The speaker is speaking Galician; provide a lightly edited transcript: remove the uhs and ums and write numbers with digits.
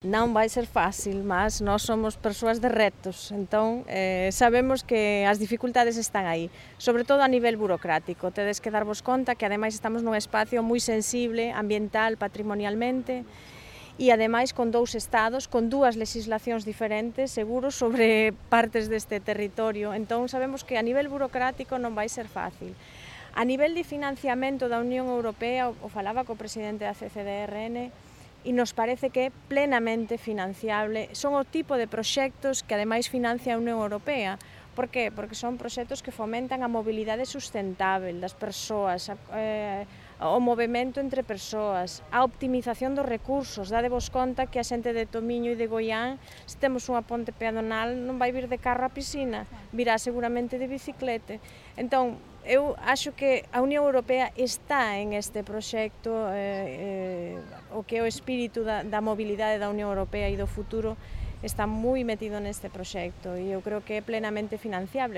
Non vai ser fácil, mas nós somos persoas de retos, entón sabemos que as dificultades están aí, sobre todo a nivel burocrático. Tedes que darvos conta que ademais estamos nun espacio moi sensible, ambiental, patrimonialmente, e ademais con dous estados, con dúas legislacións diferentes, seguros, sobre partes deste territorio. Entón sabemos que a nivel burocrático non vai ser fácil. A nivel de financiamento da Unión Europea, o falaba co presidente da CCDRN, e nos parece que é plenamente financiable. Son o tipo de proxectos que ademais financia a Unión Europea. Por que? Porque son proxectos que fomentan a mobilidade sustentável das persoas, o movimento entre persoas, a optimización dos recursos. Dadevos conta que a xente de Tomiño e de Goián, se temos unha ponte peatonal, non vai vir de carro á piscina, virá seguramente de bicicleta. Entón, eu acho que a Unión Europea está en este proxecto, o que é o espírito da mobilidade da Unión Europea e do futuro está moi metido neste proxecto e eu creo que é plenamente financiable.